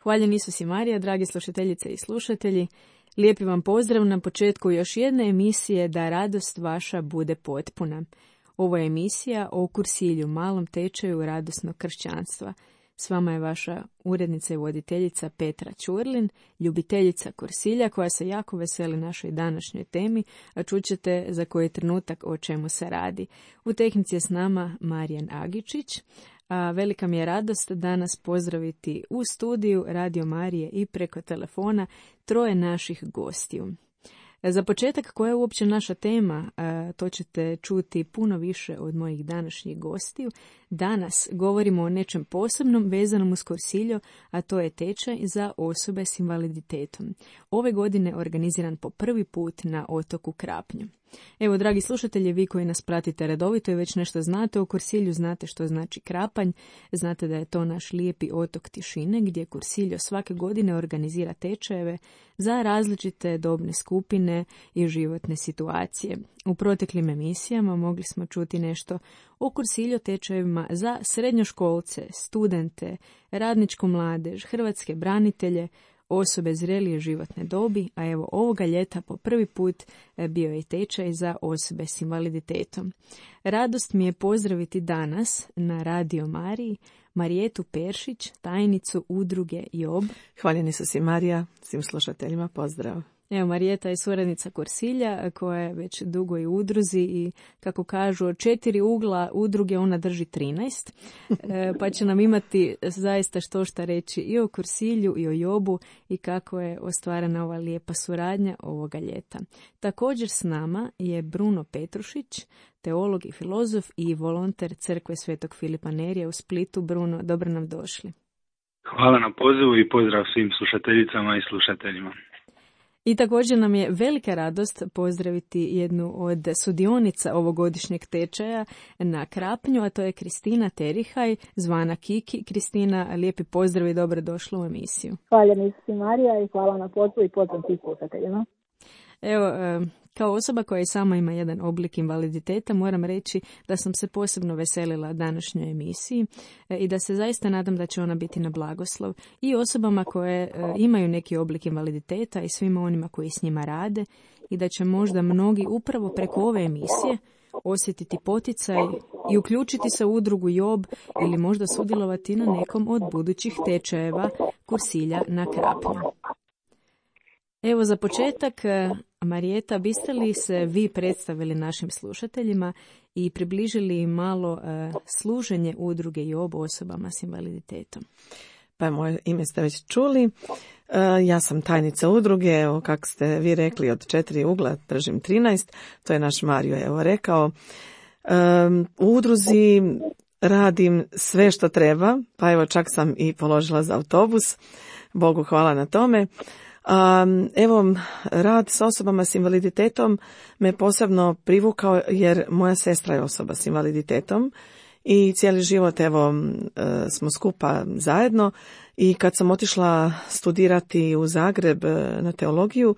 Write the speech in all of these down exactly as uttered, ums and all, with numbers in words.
Hvaljen Isus i Marija, dragi slušateljice i slušatelji. Lijepi vam pozdrav na početku još jedne emisije Da radost vaša bude potpuna. Ovo je emisija o kursilju, malom tečaju radosnog kršćanstva. S vama je vaša urednica i voditeljica Petra Ćurlin, ljubiteljica kursilja koja se jako veseli našoj današnjoj temi, a čućete za koji trenutak o čemu se radi. U tehnici je s nama Marijan Agičić. A velika mi je radost danas pozdraviti u studiju Radio Marije i preko telefona troje naših gostiju. Za početak, koja je uopće naša tema, to ćete čuti puno više od mojih današnjih gostiju. Danas govorimo o nečem posebnom vezanom uz kursiljo, a to je tečaj za osobe s invaliditetom. Ove godine organiziran po prvi put na otoku Krapnju. Evo, dragi slušatelji, vi koji nas pratite redovito i već nešto znate o kursilju, znate što znači Krapanj, znate da je to naš lijepi otok tišine gdje kursiljo svake godine organizira tečajeve za različite dobne skupine i životne situacije. U proteklim emisijama mogli smo čuti nešto o kursilju tečajevima za srednjoškolce, studente, radničku mladež, hrvatske branitelje, osobe zrelije životne dobi, a evo ovoga ljeta po prvi put bio je tečaj za osobe s invaliditetom. Radost mi je pozdraviti danas na Radio Mariji Marijetu Peršić, tajnicu udruge Job. Hvaljeni su si Marija, svim slušateljima pozdrav. Evo, Marijeta je suradnica kursilja koja je već dugo i u udruzi i kako kažu od četiri ugla udruge ona drži trinaest, e, pa će nam imati zaista što šta reći i o kursilju i o Jobu i kako je ostvarena ova lijepa suradnja ovoga ljeta. Također s nama je Bruno Petrušić, teolog i filozof i volonter Crkve Svetog Filipa Nerija u Splitu. Bruno, dobro nam došli. Hvala na pozivu i pozdrav svim slušateljicama i slušateljima. I također nam je velika radost pozdraviti jednu od sudionica ovogodišnjeg tečaja na Krapnju, a to je Kristina Terihaj, zvana Kiki. Kristina, lijepi pozdrav i dobro došla u emisiju. Hvala mi Marija i hvala na pozivu i pozdrav svih slušateljima. Evo, kao osoba koja i sama ima jedan oblik invaliditeta, moram reći da sam se posebno veselila današnjoj emisiji i da se zaista nadam da će ona biti na blagoslov i osobama koje imaju neki oblik invaliditeta i svima onima koji s njima rade i da će možda mnogi upravo preko ove emisije osjetiti poticaj i uključiti se u udrugu Job ili možda sudjelovati na nekom od budućih tečajeva kursilja na Krapnju. Evo za početak, Marijeta, biste li se vi predstavili našim slušateljima i približili im malo uh, služenje udruge Job osobama s invaliditetom? Pa moje ime ste već čuli. Uh, ja sam tajnica udruge, evo kako ste vi rekli, od četiri ugla držim trinaest, to je naš Mario evo rekao. Um, u udruzi radim sve što treba, pa evo čak sam i položila za autobus, Bogu hvala na tome. Um, evo, rad s osobama s invaliditetom me posebno privukao jer moja sestra je osoba s invaliditetom i cijeli život evo smo skupa zajedno i kad sam otišla studirati u Zagreb na teologiju,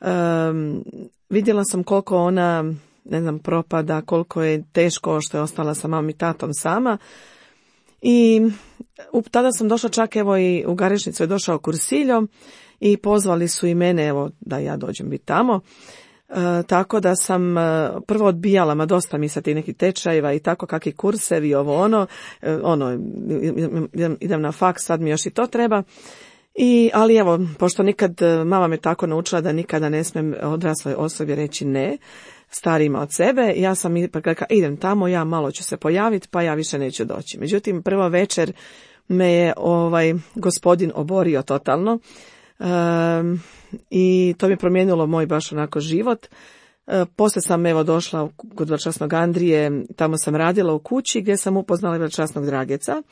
um, vidjela sam koliko ona, ne znam, propada, koliko je teško što je ostala sa mamom i tatom sama. I tada sam došla čak evo i u Garešnicu je došao kursiljo i pozvali su i mene evo da ja dođem biti tamo. E, tako da sam e, prvo odbijala, ma dosta mi sa tih nekih tečajeva i tako kakvi kursevi, ovo ono, e, ono idem, idem na faks, sad mi još i to treba. I, ali evo, pošto nikad, mama me tako naučila da nikada ne smijem odrasloj osobi reći ne, starijima od sebe, ja sam ipak rekla, idem tamo, ja malo ću se pojaviti, pa ja više neću doći. Međutim, prvo večer me je ovaj gospodin oborio totalno. Um, i to mi je promijenilo moj baš onako život. Uh, poslije sam evo došla kod veličasnog Andrije, tamo sam radila u kući gdje sam upoznala veličasnog Drageca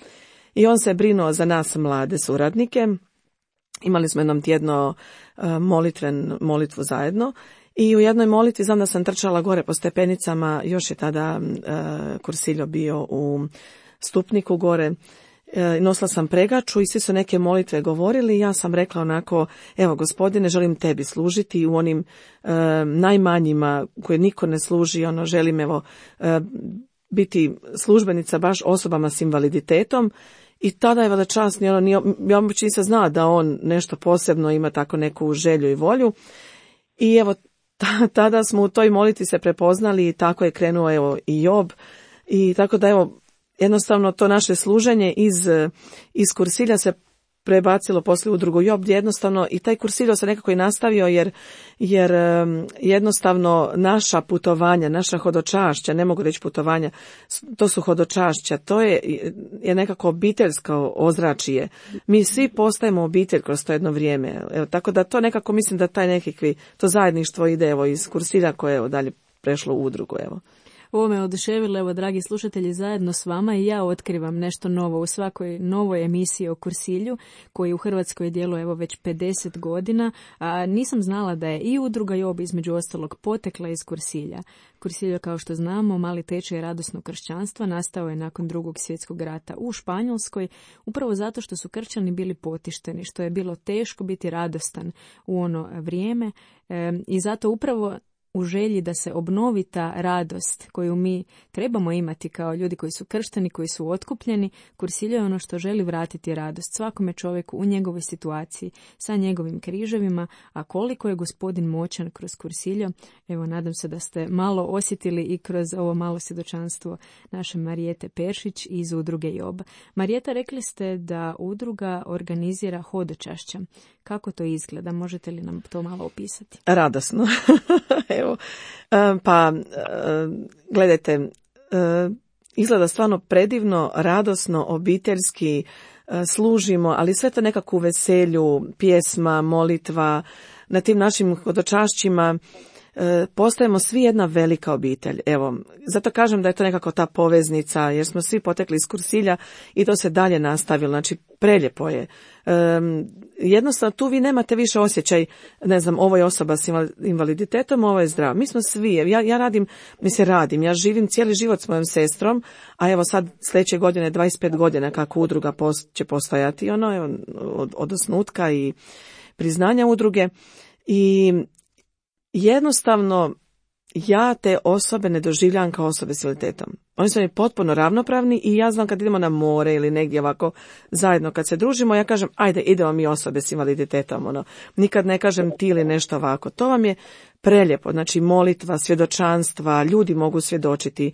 i on se brinuo za nas mlade suradnike. Imali smo jednom tjedno uh, molitven, molitvu zajedno i u jednoj molitvi znam da sam trčala gore po stepenicama, još je tada uh, kursiljo bio u Stupniku gore. Nosila sam pregaču i svi su neke molitve govorili. Ja sam rekla onako, evo gospodine, želim tebi služiti u onim e, najmanjima koje niko ne služi, ono želim evo e, biti službenica baš osobama s invaliditetom I tada je veličasni, ono, nije, ja uopće nisam znala da on nešto posebno ima tako neku želju i volju. I evo, t- tada smo u toj molitvi se prepoznali i tako je krenuo evo i Job. I tako da evo, jednostavno to naše služenje iz, iz Kursilja se prebacilo poslije u drugu Job, gdje jednostavno i taj Kursiljo se nekako i nastavio, jer, jer jednostavno naša putovanja, naša hodočašća, ne mogu reći putovanja, to su hodočašća, to je, je nekako obiteljsko ozračje. Mi svi postajemo obitelj kroz to jedno vrijeme. Evo, tako da to nekako mislim da taj nekakvi, to zajedništvo ide evo iz Kursilja koje je dalje prešlo u udrugu. Evo. Ovo me oduševilo, evo, dragi slušatelji, zajedno s vama i ja otkrivam nešto novo u svakoj novoj emisiji o Kursilju, koji u Hrvatskoj djeluje evo već pedeset godina, a nisam znala da je i udruga Job između ostalog potekla iz Kursilja. Kursiljo, kao što znamo, mali tečaj radosnog kršćanstva, nastao je nakon drugog svjetskog rata u Španjolskoj, upravo zato što su kršćani bili potišteni, što je bilo teško biti radostan u ono vrijeme e, i zato upravo u želji da se obnovi ta radost koju mi trebamo imati kao ljudi koji su kršteni, koji su otkupljeni, Kursiljo je ono što želi vratiti radost svakome čovjeku u njegovoj situaciji sa njegovim križevima, a koliko je Gospodin moćan kroz Kursiljo, evo nadam se da ste malo osjetili i kroz ovo malo svjedočanstvo naše Marijete Peršić iz udruge Job. Marijeta, rekli ste da udruga organizira hodočašća. Kako to izgleda? Možete li nam to malo opisati? Radosno. Evo, pa gledajte, izgleda stvarno predivno, radosno, obiteljski, služimo, ali sve to nekako u veselju, pjesma, molitva, na tim našim hodočašćima postajemo svi jedna velika obitelj. Evo, zato kažem da je to nekako ta poveznica, jer smo svi potekli iz Kursilja i to se dalje nastavilo, znači preljepo je. Um, jednostavno tu vi nemate više osjećaj, ne znam, ovo je osoba s invaliditetom, ovo je zdrav. Mi smo svi, ja, ja radim, mi se radim, ja živim cijeli život s mojom sestrom, a evo sad sljedeće godine dvadeset pet godina kako udruga post, će postojati, ono, evo, od, od osnutka i priznanja udruge. I jednostavno ja te osobe ne doživljavam kao osobe s invaliditetom. Oni su mi potpuno ravnopravni i ja znam kad idemo na more ili negdje ovako zajedno kad se družimo, ja kažem ajde idemo mi osobe s invaliditetom. Ono. Nikad ne kažem ti ili nešto ovako. To vam je preljepo, znači molitva, svjedočanstva, ljudi mogu svjedočiti.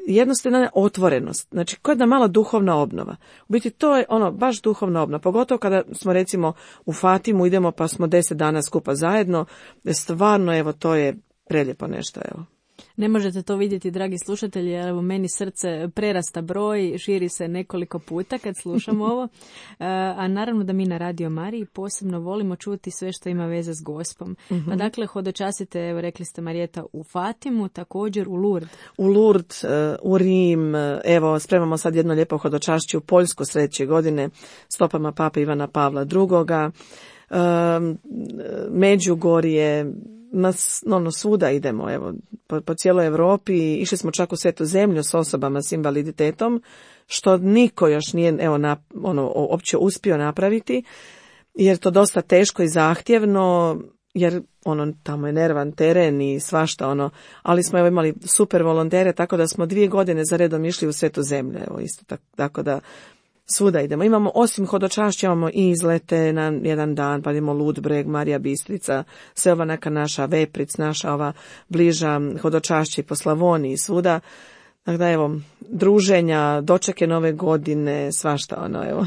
Jednostavna otvorenost, znači koja je jedna mala duhovna obnova. U biti to je ono baš duhovna obnova, pogotovo kada smo recimo u Fatimu idemo pa smo deset dana skupa zajedno, stvarno evo to je prelijepo nešto, evo. Ne možete to vidjeti, dragi slušatelji, jer evo meni srce prerasta broj, širi se nekoliko puta kad slušam ovo. A naravno da mi na Radio Mariji posebno volimo čuti sve što ima veze s Gospom. Uh-huh. Pa dakle, hodočasite, evo rekli ste Marijeta, u Fatimu, također u Lourdes. U Lourdes, u Rim, evo spremamo sad jedno lijepo hodočašće u Poljsku sljedeće godine, stopama Pape Ivana Pavla drugoga. Međugorje, no, svuda idemo, evo, po, po cijeloj Europi, išli smo čak u Svetu zemlju s osobama s invaliditetom, što niko još nije, evo, na, ono, opće uspio napraviti, jer to dosta teško i zahtjevno, jer ono, tamo je nervan teren i svašta, ono, ali smo evo imali super volontere, tako da smo dvije godine za redom išli u Svetu zemlju, evo, isto tako, tako da svuda idemo. Imamo, osim hodočašća, imamo i izlete na jedan dan, pa idemo Ludbreg, Marija Bistrica, sve ova neka naša Vepric, naša ova bliža hodočašća po Slavoniji, svuda. Dakle, evo, druženja, dočeke nove godine, svašta ono, evo.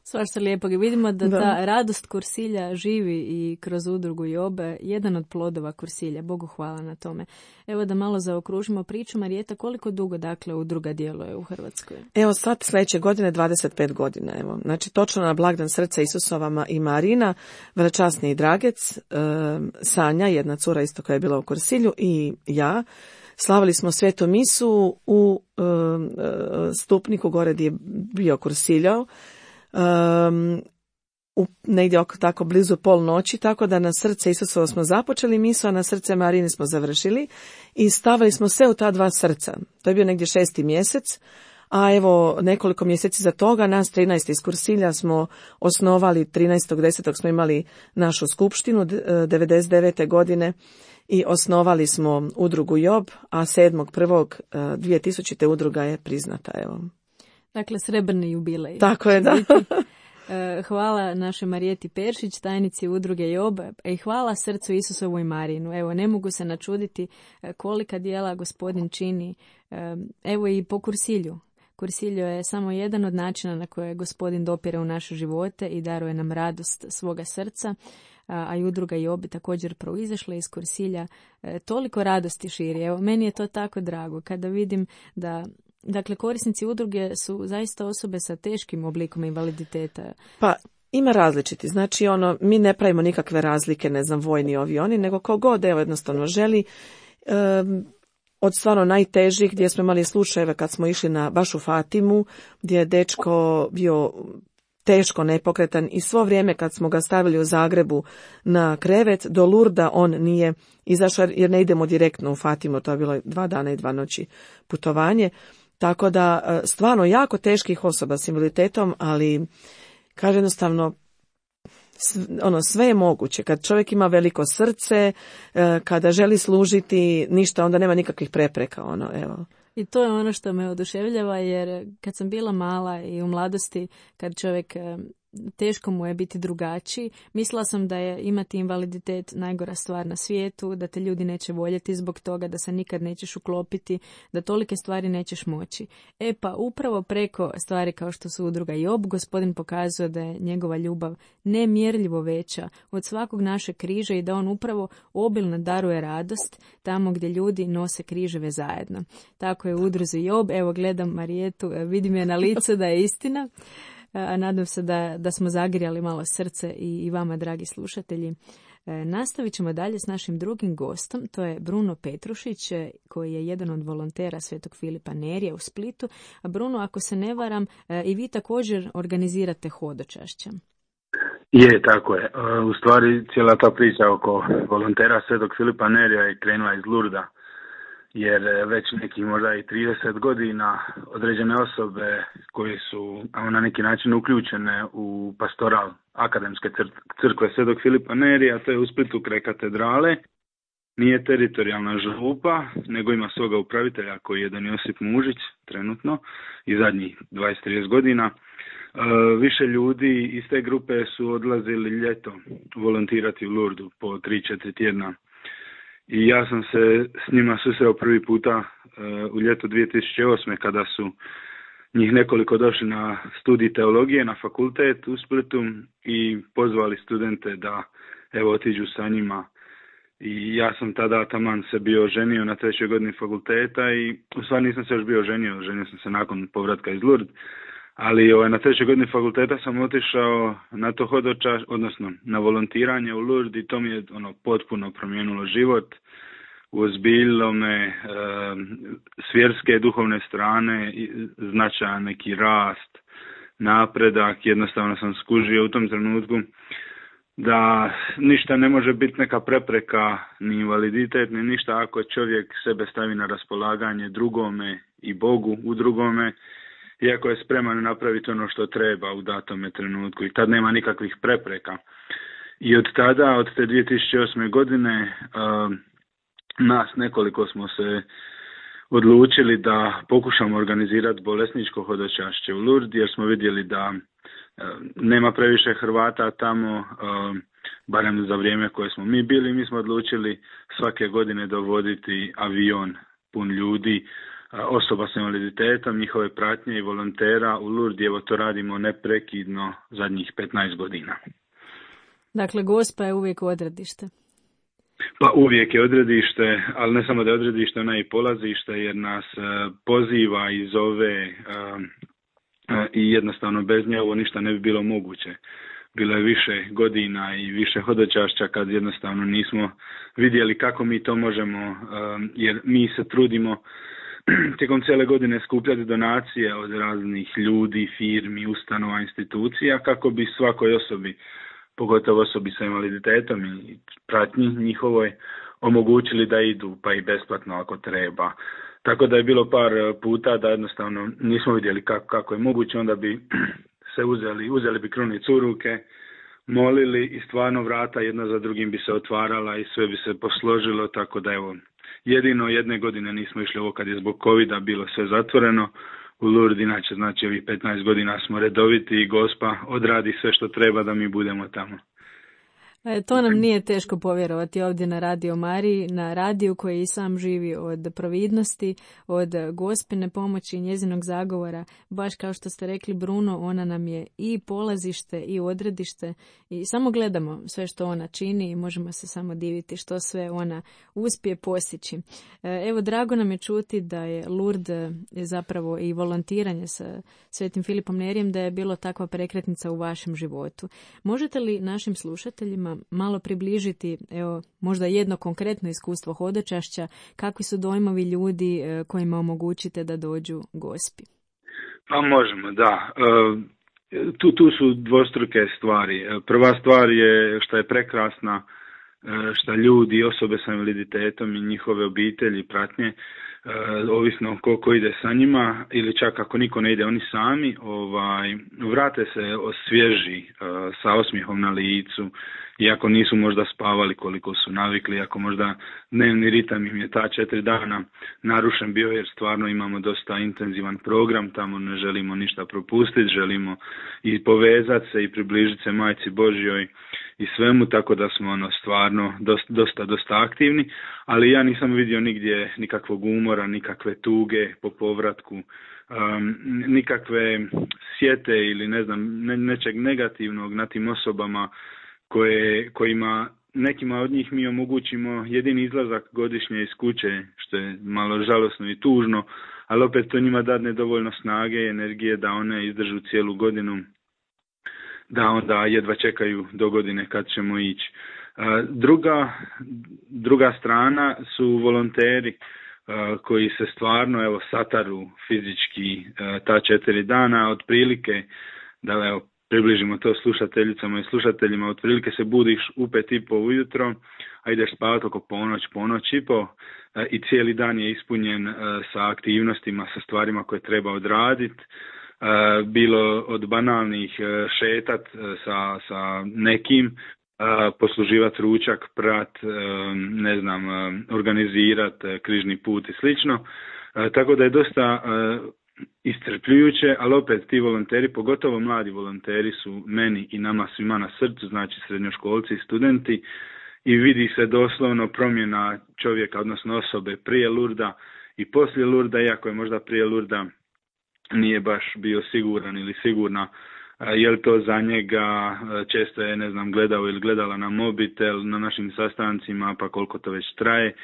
Svašta lijepog i vidimo da, da ta radost Kursilja živi i kroz udrugu Job, jedan od plodova Kursilja. Bogu hvala na tome. Evo da malo zaokružimo priču. Marijeta, koliko dugo dakle udruga djeluje u Hrvatskoj? Evo sad sljedeće godine dvadeset pet godina. Evo. Znači točno na blagdan srca Isusovama i Marina, velečasni i Dragec, e, Sanja, jedna cura isto koja je bila u Kursilju, i ja. Slavili smo svetu misu u e, Stupniku gore gdje je bio Kursiljao. Um, u, negdje oko tako blizu pol noći, tako da na srce Isusovo smo započeli misu, a na srce Marine smo završili i stavili smo sve u ta dva srca. To je bio negdje šesti mjesec, a evo nekoliko mjeseci za toga nas trinaest iz Kursilja smo osnovali, trinaestog desetog smo imali našu skupštinu devedeset devete godine i osnovali smo udrugu Job, a sedmog prvog dvije tisućite udruga je priznata, evo. Dakle, srebrni jubilej. Tako je, da. Hvala našoj Marijeti Peršić, tajnici udruge Job, i hvala srcu Isusovu i Marinu. Evo, ne mogu se načuditi kolika djela gospodin čini. Evo i po kursilju. Kursiljo je samo jedan od načina na koje gospodin dopire u naše živote i daruje nam radost svoga srca, a i udruga Job također proizašla iz kursilja. Toliko radosti širi. Evo, meni je to tako drago kada vidim da dakle, korisnici udruge su zaista osobe sa teškim oblikom invaliditeta. Pa, ima različiti. Znači, ono, mi ne pravimo nikakve razlike, ne znam, vojni, ovi, oni, nego ko god, evo, jednostavno želi. Um, od stvarno najtežih, gdje smo imali slučajeve kad smo išli na baš u Fatimu, gdje je dečko bio teško nepokretan i svo vrijeme kad smo ga stavili u Zagrebu na krevet, do Lurda on nije izašao jer ne idemo direktno u Fatimu, to je bilo dva dana i dva noći putovanje. Tako da stvarno jako teških osoba s invaliditetom, ali kaže jednostavno ono sve je moguće. Kad čovjek ima veliko srce, kada želi služiti, ništa, onda nema nikakvih prepreka. Ono, evo. I to je ono što me oduševljava, jer kad sam bila mala i u mladosti, kad čovjek teško mu je biti drugačiji, mislila sam da je imati invaliditet najgora stvar na svijetu, da te ljudi neće voljeti zbog toga, da se nikad nećeš uklopiti, da tolike stvari nećeš moći. E pa upravo preko stvari kao što su udruga Job, gospodin pokazuje da je njegova ljubav nemjerljivo veća od svakog našeg križa i da on upravo obilno daruje radost tamo gdje ljudi nose križeve zajedno. Tako je u udruzi Job. Evo gledam Marijetu, vidim je na licu da je istina. A nadam se da, da smo zagrijali malo srce i, i vama, dragi slušatelji. E, nastavit ćemo dalje s našim drugim gostom, to je Bruno Petrušić, koji je jedan od volontera Svetog Filipa Nerija u Splitu. A Bruno, ako se ne varam, e, i vi također organizirate hodočašće. Je, tako je. U stvari cijela ta priča oko volontera Svetog Filipa Nerija je krenula iz Lurda, jer već nekih možda i trideset godina određene osobe koje su na neki način uključene u pastoral akademske crkve Svetog Filipa Nerija, to je u Splitu kraj katedrale, nije teritorijalna župa, nego ima svoga upravitelja koji je Don Josip Mužić trenutno i zadnjih dvadeset do trideset godina. Više ljudi iz te grupe su odlazili ljeto volontirati u Lurdu po tri do četiri tjedna. I ja sam se s njima susreo prvi puta uh, u ljeto dvije tisuće osme kada su njih nekoliko došli na studij teologije na fakultet u Splitu i pozvali studente da evo otiđu sa njima. I ja sam tada taman se bio ženio na trećoj godini fakulteta i u stvari nisam se još bio ženio, ženio sam se nakon povratka iz Lourdes. Ali ovaj, na trećoj godini fakulteta sam otišao na to hodočaš, odnosno na volontiranje u Lourdes i to mi je ono potpuno promijenilo život. Uozbiljilo me e, s vjerske duhovne strane, značajan neki rast, napredak, jednostavno sam skužio u tom trenutku da ništa ne može biti neka prepreka, ni invaliditet, ni ništa ako čovjek sebe stavi na raspolaganje drugome i Bogu u drugome, iako je spreman napraviti ono što treba u datome trenutku i tad nema nikakvih prepreka. I od tada, od te dvije tisuće osme godine, uh, nas nekoliko smo se odlučili da pokušamo organizirati bolesničko hodočašće u Lourdes, jer smo vidjeli da uh, nema previše Hrvata tamo, uh, barem za vrijeme koje smo mi bili. Mi smo odlučili svake godine dovoditi avion pun ljudi, osoba s invaliditetom, njihove pratnje i volontera u Lourdes. Evo to radimo neprekidno zadnjih petnaest godina. Dakle, Gospa je uvijek odredište. Pa uvijek je odredište, ali ne samo da je odredište, ona je i polazište, jer nas poziva i zove i jednostavno bez nje ovo ništa ne bi bilo moguće. Bilo je više godina i više hodočašća kad jednostavno nismo vidjeli kako mi to možemo, jer mi se trudimo tijekom cijele godine skupljati donacije od raznih ljudi, firmi, ustanova, institucija kako bi svakoj osobi, pogotovo osobi sa invaliditetom i pratnji njihovoj, omogućili da idu pa i besplatno ako treba. Tako da je bilo par puta da jednostavno nismo vidjeli kako, kako je moguće, onda bi se uzeli, uzeli bi krunicu u ruke, molili i stvarno vrata jedna za drugim bi se otvarala i sve bi se posložilo, tako da evo, jedino jedne godine nismo išli ovo kad je zbog covida bilo sve zatvoreno. u Lourdes, inače znači ovih petnaest godina smo redoviti i Gospa odradi sve što treba da mi budemo tamo. E, to nam nije teško povjerovati ovdje na Radio Mariji, na radiju koji i sam živi od providnosti, od Gospine pomoći i njezinog zagovora. Baš kao što ste rekli, Bruno, ona nam je i polazište i odredište i samo gledamo sve što ona čini i možemo se samo diviti što sve ona uspije postići. E, evo, drago nam je čuti da je Lourdes zapravo i volontiranje sa Svetim Filipom Nerijem, da je bilo takva prekretnica u vašem životu. Možete li našim slušateljima malo približiti, evo, možda jedno konkretno iskustvo hodočašća, kakvi su dojmovi ljudi kojima omogućite da dođu Gospi? Pa možemo, da. Tu, tu su dvostruke stvari. Prva stvar je što je prekrasna, što ljudi, osobe sa invaliditetom i njihove obitelji, pratnje, ovisno ko, ko ide sa njima ili čak ako niko ne ide, oni sami ovaj, vrate se osvježi sa osmijehom na licu, iako nisu možda spavali koliko su navikli, ako možda dnevni ritam im je ta četiri dana narušen bio, jer stvarno imamo dosta intenzivan program, tamo ne želimo ništa propustiti, želimo i povezati se i približiti se Majci Božjoj i svemu, tako da smo ono stvarno dosta, dosta, dosta aktivni, ali ja nisam vidio nigdje nikakvog umora, nikakve tuge po povratku, um, nikakve sjete ili ne znam, ne, nečeg negativnog na tim osobama koje, kojima nekima od njih mi omogućimo jedini izlazak godišnje iz kuće, što je malo žalosno i tužno, ali opet to njima dadne dovoljno snage i energije da one izdržu cijelu godinu, da onda jedva čekaju do godine kad ćemo ići. Druga, druga strana su volonteri koji se stvarno evo sataru fizički ta četiri dana, otprilike, da evo približimo to slušateljicama i slušateljima, otprilike se budiš u pet i po ujutro, a ideš spavati oko ponoć, ponoć i po i cijeli dan je ispunjen sa aktivnostima, sa stvarima koje treba odraditi. Bilo od banalnih šetat sa, sa nekim, posluživati ručak, prat, ne znam, organizirati križni put i slično. Tako da je dosta iscrpljujuće, ali opet ti volonteri, pogotovo mladi volonteri, su meni i nama svima na srcu, znači srednjoškolci i studenti, i vidi se doslovno promjena čovjeka, odnosno osobe prije Lurda i poslije Lurda, iako je možda prije Lurda nije baš bio siguran ili sigurna je li to za njega, često je, ne znam, gledao ili gledala na mobitel na našim sastancima, pa koliko to već traje,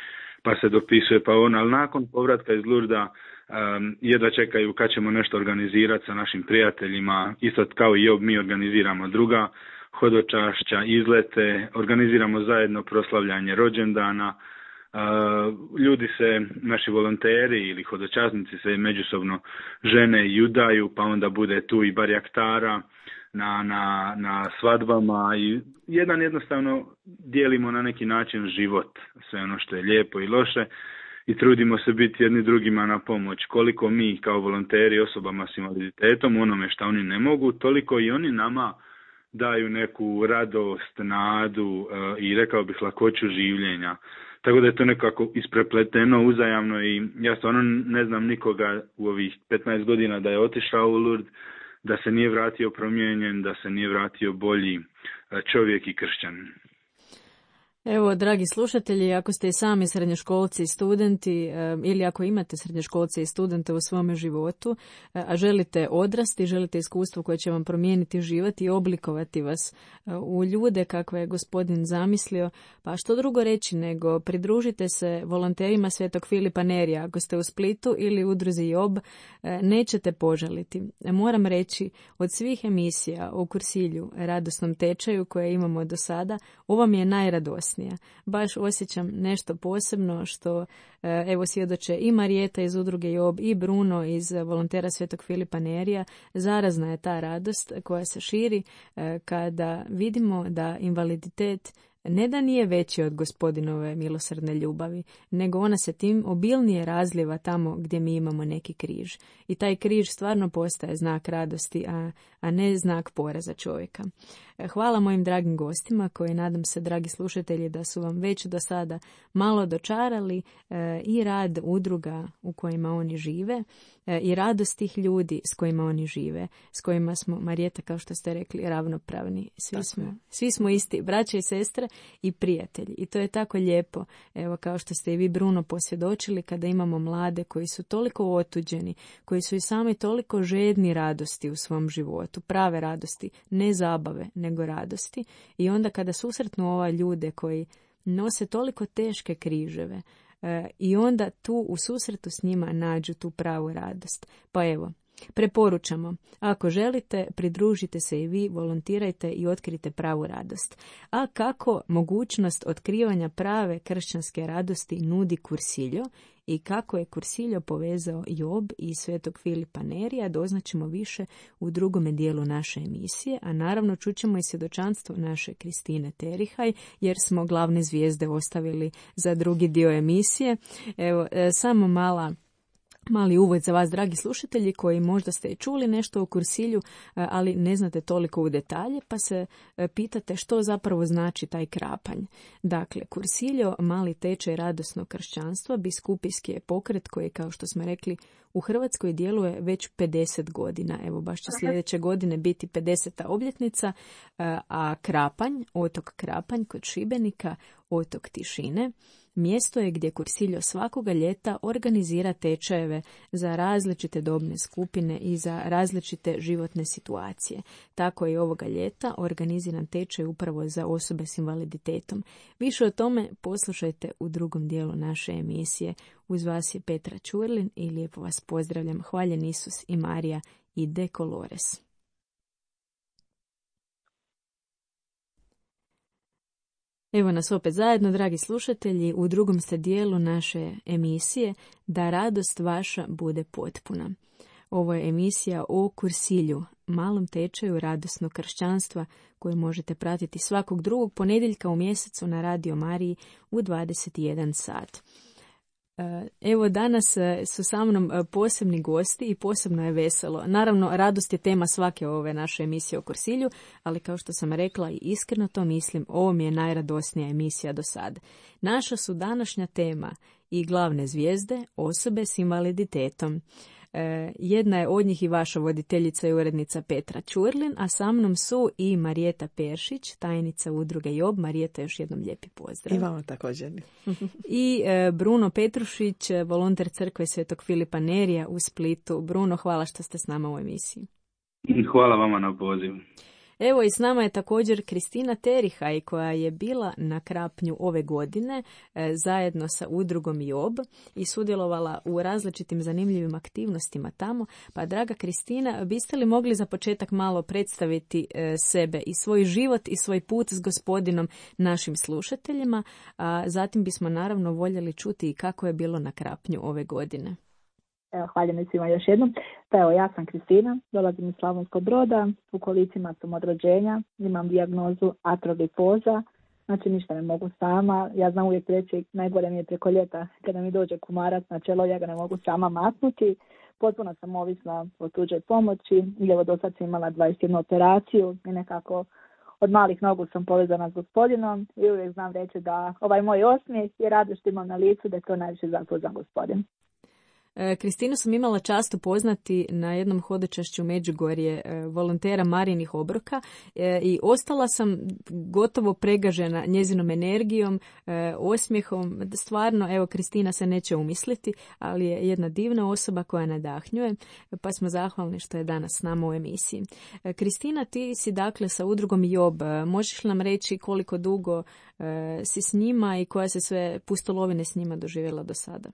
pa se dopisuje, pa on, ali nakon povratka iz Lurda um, jedva čekaju kad ćemo nešto organizirati sa našim prijateljima, isto kao i mi organiziramo druga hodočašća, izlete, organiziramo zajedno proslavljanje rođendana. Uh, ljudi se, naši volonteri ili hodočasnici se međusobno žene i udaju, pa onda bude tu i barjaktara na, na, na svadbama i jedan jednostavno dijelimo na neki način život, sve ono što je lijepo i loše, i trudimo se biti jedni drugima na pomoć. Koliko mi kao volonteri osobama s invaliditetom u onome što oni ne mogu, toliko i oni nama daju neku radost, nadu uh, i rekao bih lakoću življenja. Tako da je to nekako isprepleteno uzajamno i ja stvarno ne znam nikoga u ovih petnaest godina da je otišao u Lourdes, da se nije vratio promijenjen, da se nije vratio bolji čovjek i kršćanin. Evo, dragi slušatelji, ako ste i sami srednjoškolci i studenti ili ako imate srednjoškolce i studente u svome životu, a želite odrasti, želite iskustvo koje će vam promijeniti život i oblikovati vas u ljude kakve je Gospodin zamislio, pa što drugo reći nego pridružite se volonterima Svetog Filipa Nerija. Ako ste u Splitu ili udruzi Job, nećete požaliti. Moram reći, od svih emisija o Kursilju, radosnom tečaju koje imamo do sada, ova mi je najradosnija. Baš osjećam nešto posebno što evo svjedoče i Marijeta iz udruge Job i Bruno iz volontera Svetog Filipa Nerija. Zarazna je ta radost koja se širi kada vidimo da invaliditet ne da nije veći od Gospodinove milosrdne ljubavi, nego ona se tim obilnije razlijeva tamo gdje mi imamo neki križ. I taj križ stvarno postaje znak radosti, a, a ne znak poraza čovjeka. Hvala mojim dragim gostima koji, nadam se, dragi slušatelji, da su vam već do sada malo dočarali e, i rad udruga u kojima oni žive. i radost tih ljudi s kojima oni žive, s kojima smo, Marijeta, kao što ste rekli, ravnopravni. Svi smo, svi smo isti, braće i sestre i prijatelji. I to je tako lijepo, evo kao što ste i vi, Bruno, posvjedočili, kada imamo mlade koji su toliko otuđeni, koji su i sami toliko žedni radosti u svom životu, prave radosti, ne zabave, nego radosti. I onda kada susretnu ova ljude koji nose toliko teške križeve, e, i onda tu u susretu s njima nađu tu pravu radost. Pa evo, preporučamo, ako želite, pridružite se i vi, volontirajte i otkrite pravu radost. A kako mogućnost otkrivanja prave kršćanske radosti nudi Cursillo i kako je Cursillo povezao Job i svetog Filipa Nerija, doznaćemo više u drugome dijelu naše emisije, a naravno čućemo i svjedočanstvo naše Kristine Terihaj, jer smo glavne zvijezde ostavili za drugi dio emisije. Evo, samo mala Mali uvod za vas, dragi slušatelji, koji možda ste čuli nešto o Cursillu, ali ne znate toliko u detalje, pa se pitate što zapravo znači taj krapanj. Dakle, Cursillo, mali tečaj radosnog kršćanstva, biskupijski je pokret koji, kao što smo rekli, u Hrvatskoj djeluje već pedeset godina. Evo, baš će sljedeće godine biti pedeseta obljetnica, a Krapanj, otok Krapanj kod Šibenika, otok tišine, mjesto je gdje Cursillo svakoga ljeta organizira tečajeve za različite dobne skupine i za različite životne situacije. Tako je i ovoga ljeta organiziran tečaj upravo za osobe s invaliditetom. Više o tome poslušajte u drugom dijelu naše emisije. Uz vas je Petra Ćurlin i lijepo vas pozdravljam. Hvaljen Isus i Marija i De Colores. Evo nas opet zajedno, dragi slušatelji, u drugom ste dijelu naše emisije Da radost vaša bude potpuna. Ovo je emisija o Cursillu, malom tečaju radosnog kršćanstva, koju možete pratiti svakog drugog ponedjeljka u mjesecu na Radio Mariji u dvadeset jedan sat. Evo, danas su sa mnom posebni gosti i posebno je veselo. Naravno, radost je tema svake ove naše emisije o Cursillu, ali kao što sam rekla i iskreno to mislim, ovo mi je najradosnija emisija do sada. Naša su današnja tema i glavne zvijezde osobe s invaliditetom. Jedna je od njih i vaša voditeljica i urednica Petra Ćurlin, a sa mnom su i Marijeta Peršić, tajnica udruge Job. Marijeta, još jednom lijepi pozdrav. I vama također. I Bruno Petrušić, volonter crkve svetog Filipa Nerija u Splitu. Bruno, hvala što ste s nama u emisiji. Hvala vama na pozivu. Evo, i s nama je također Kristina Terihaj, koja je bila na Krapnju ove godine e, zajedno sa udrugom Job i sudjelovala u različitim zanimljivim aktivnostima tamo. Pa, draga Kristina, biste li mogli za početak malo predstaviti e, sebe i svoj život i svoj put s Gospodinom našim slušateljima, a zatim bismo naravno voljeli čuti i kako je bilo na Krapnju ove godine. Evo, hvaljen svima još jednom. Pa evo, ja sam Kristina, dolazim iz Slavonskog Broda, u kolicima sam od rođenja, imam dijagnozu atroglifoza, znači ništa ne mogu sama. Ja znam uvijek reći, najgore mi je preko ljeta kada mi dođe kumarac na čelo, ja ga ne mogu sama maknuti. Potpuno sam ovisna o tuđoj pomoći, i evo do sad sam imala dvadeset jednu operaciju i nekako od malih nogu sam povezana s Gospodinom i uvijek znam reći da ovaj moj osmijeh i radost imam na licu, da je to najviše zaslužan Gospodin. Kristinu sam imala čast upoznati na jednom hodočašću Međugorje volontera Marijinih obroka i ostala sam gotovo pregažena njezinom energijom, osmijehom. Stvarno, evo, Kristina se neće umisliti, ali je jedna divna osoba koja nadahnjuje, pa smo zahvalni što je danas s nama u emisiji. Kristina, ti si dakle sa udrugom Job. Možeš nam reći koliko dugo si s njima i koja se sve pustolovine s njima doživjela do sada?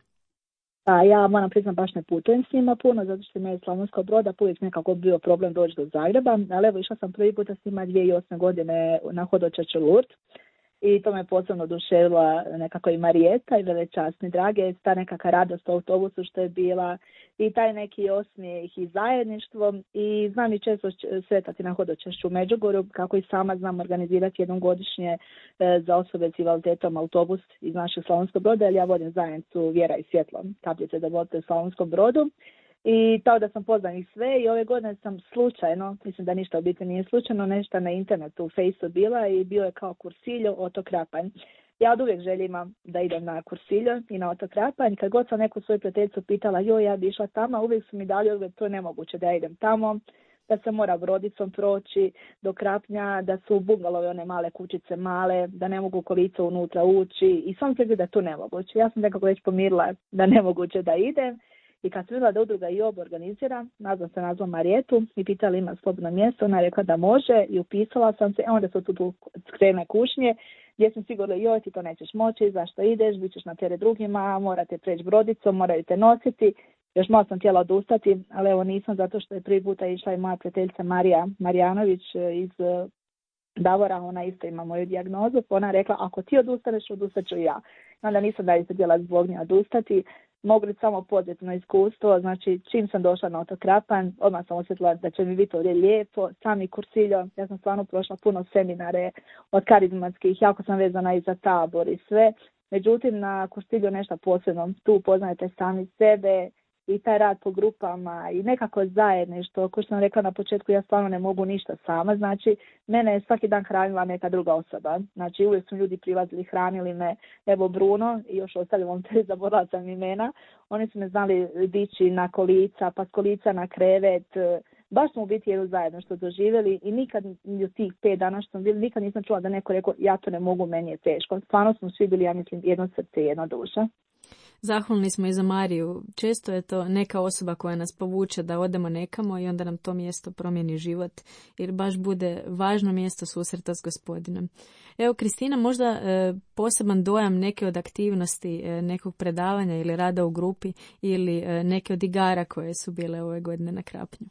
A ja moram priznam, baš ne putujem s njima puno, zato što mi je iz Slavonskog Broda uvijek nekako bio problem doći do Zagreba, ali evo išla sam prvi puta s njima dvije tisuće osme godine na hodočašće Lourdes i to me posebno oduševila nekako i Marijeta i velečasni drage, ta nekakva radost u autobusu što je bila i taj neki osmijeh i zajedništvo i znam i često sretati na hodočašću u Međugorju, kako i sama znam organizirati jednom godišnje za osobe s invaliditetom autobus iz našeg Slavonskog Broda, jer ja vodim zajednicu Vjera i svjetlo, kapljice da vodite u Slavonskom Brodu. I tako da sam poznam ih sve i ove godine sam slučajno, mislim da ništa u biti nije slučajno, nešto na internetu u Fejsu bila i bio je kao Cursillo, otok Krapanj. Ja od uvijek želim da idem na Kursilju i na otok Krapanj. Kad god sam neku svoju prijateljicu pitala, joj, ja bi išla tamo, uvijek su mi dali odgovor, to je nemoguće da ja idem tamo, da se mora brodicom proći do Krapnja, da su bungalove one male kućice male, da ne mogu kolica unutra ući i sam se da je to nemoguće. Ja sam nekako već pomirila da nemoguće da idem. I kad sam vidjela da udruga i ob organizira, nazvam se nazvam Marijetu i pitala ima slobodno mjesto, ona je rekla da može i upisala sam se, onda su tu krene kušnje, gdje sam sigurno, joj ti to nećeš moći, zašto ideš, bit ćeš na teret drugima, morate preći brodicom, moraju te nositi. Još malo sam htjela odustati, ali evo nisam, zato što je prvi puta išla i moja prijateljica Marija Marjanović iz Davora, ona isto ima moju dijagnozu, pa ona rekla, ako ti odustaneš, odustat ću ja. Onda nisam dalje se htjela zbog nje odustati. Mogu reći samo pozitivno iskustvo, znači čim sam došla na otok Krapanj, odmah sam osjetila da će mi biti ovdje lijepo, sami Kursiljo, ja sam stvarno prošla puno seminare od karizmatskih, jako sam vezana i za tabor i sve, međutim na Kursilju nešto posebno, tu upoznajete sami sebe i taj rad po grupama i nekako zajedništvo, kao što sam rekla na početku, ja stvarno ne mogu ništa sama, znači mene je svaki dan hranila neka druga osoba, znači uvijek su ljudi prilazili, hranili me, evo Bruno i još ostali volonteri, zaboravila sam imena, oni su me znali dići na kolica, pa s kolica na krevet, baš smo u biti jedno zajedno što doživjeli i nikad u tih pet dana što sam bili, nikad nisam čula da neko rekao ja to ne mogu, meni je teško, stvarno smo svi bili, ja mislim, jedno srce, jedna duša. Zahvalni smo i za Mariju. Često je to neka osoba koja nas povuče da odemo nekamo i onda nam to mjesto promijeni život, jer baš bude važno mjesto susreta s Gospodinom. Evo, Kristina, možda e, poseban dojam neke od aktivnosti, e, nekog predavanja ili rada u grupi ili e, neke od igara koje su bile ove godine na Krapnju.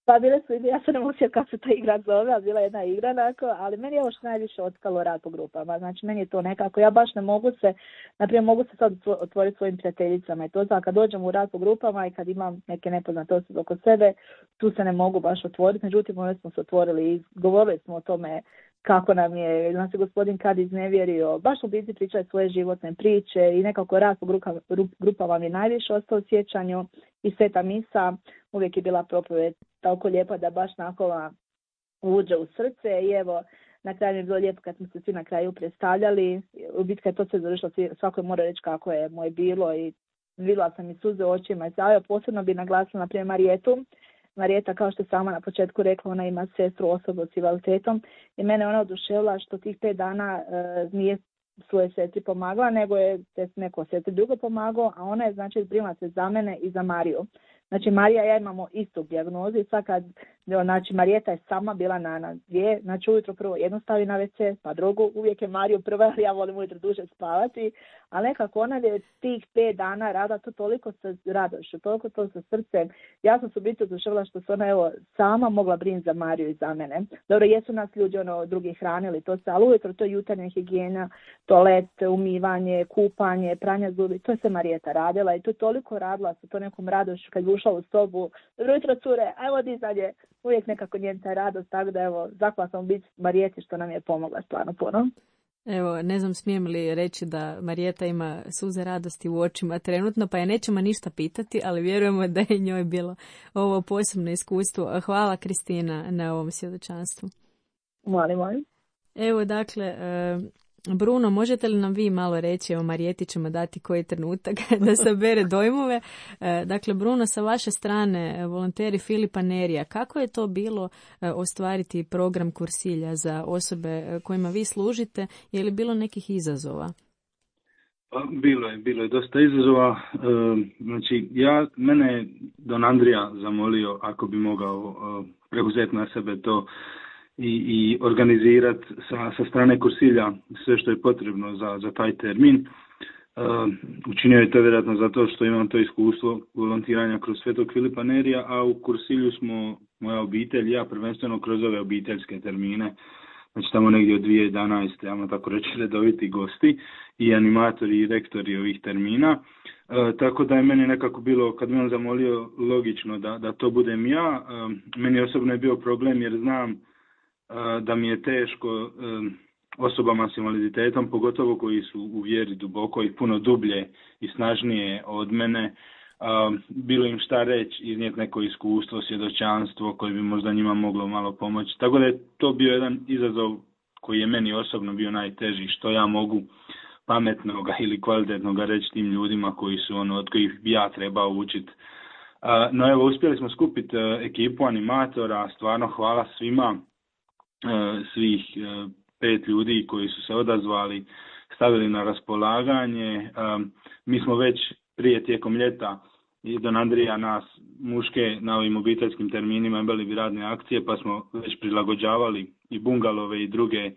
Pa bile su, ja se ne mogu sjetiti kako se ta igra zove, ali bila jedna igra, nako, ali meni je ovo što najviše otkalo rad po grupama. Znači, meni je to nekako, ja baš ne mogu se, naprimjer, mogu se sad otvoriti svojim prijateljicama i to, znači, kad dođem u rad po grupama i kad imam neke nepoznate osobe oko sebe, tu se ne mogu baš otvoriti, međutim, onda smo se otvorili i govorili smo o tome kako nam je, nas je gospodin kad iznevjerio, baš u biti pričaju svoje životne priče i nekako rad po grupama, grupama mi najviše ostao u sjećanju i sveta misa, uvijek je bila propovjed tako lijepa da baš nakon uđe u srce i evo, na kraju je bilo lijepo kad smo se svi na kraju predstavljali, u biti kad to se završilo, svako je mora reći kako je moje bilo i vidjela sam i suze u očima i zavio, posebno bi naglasila na primjer Marijetu. Marijeta, kao što je sama na početku rekla, ona ima sestru osobu s invaliditetom i mene ona oduševila što tih pet dana e, nije svoje sestri pomagala, nego je neko sestri drugo pomagao, a ona je znači brinula se za mene i za Mariju. Znači Marija i ja imamo istu dijagnozu i sad kad, znači Marijeta je sama bila na nas dvije, znači ujutro prvo jednu stavi na ve ce, pa drugu, uvijek je Mariju prva, ja volim ujutro duže spavati, ali nekako ona je tih pet dana rada to toliko sa radošću, toliko to sa srcem. Ja sam se biti oduševila što se ona evo sama mogla brinuti za Mariju i za mene. Dobro, jesu nas ljudi ono drugi hranili, to se, ali ujutro to je jutarnja higijena, toalet, umivanje, kupanje, pranje zubi, to je se Marijeta radila i to je toliko radila sa to nekom radošću kad ušla u sobu, dobro jutro cure, ajmo dizanje, uvijek nekako njen taj radost, tako da evo, zahvala sam biti Marijeti što nam je pomogla stvarno puno. Evo, ne znam smijem li reći da Marijeta ima suze radosti u očima trenutno, pa je nećemo ništa pitati, ali vjerujemo da je njoj bilo ovo posebno iskustvo. Hvala Kristina na ovom svjedočanstvu. Molim, molim. Evo, dakle, Bruno, možete li nam vi malo reći, evo Marijeti ćemo dati koji trenutak da sabere dojmove. Dakle, Bruno, sa vaše strane, volonteri Filipa Nerija, kako je to bilo ostvariti program Kursilja za osobe kojima vi služite? Je li bilo nekih izazova? Bilo je, bilo je dosta izazova. Znači, ja, mene je Don Andrija zamolio ako bi mogao preuzeti na sebe to i, i organizirati sa, sa strane Kursilja sve što je potrebno za, za taj termin. Uh, učinio je to vjerojatno zato što imam to iskustvo volontiranja kroz Svetog Filipa Nerija, a u Kursilju smo, moja obitelj, ja prvenstveno kroz ove obiteljske termine, znači tamo negdje od dvije tisuće jedanaeste, ja tako reći, redoviti gosti i animatori i rektori ovih termina. Uh, tako da je meni nekako bilo, kad mi on zamolio, logično da, da to budem ja. Uh, meni osobno je bio problem jer znam da mi je teško osobama s invaliditetom, pogotovo koji su u vjeri duboko i puno dublje i snažnije od mene, bilo im šta reći, iznijeti neko iskustvo, svjedočanstvo koje bi možda njima moglo malo pomoći. Tako da je to bio jedan izazov koji je meni osobno bio najteži, što ja mogu pametnoga ili kvalitetnoga reći tim ljudima koji su ono, od kojih bi ja trebao učiti. No evo, uspjeli smo skupiti ekipu animatora, stvarno hvala svima, svih pet ljudi koji su se odazvali, stavili na raspolaganje. Mi smo već prije tijekom ljeta i Don Andrija nas muške na ovim obiteljskim terminima imali bi radne akcije, pa smo već prilagođavali i bungalove i druge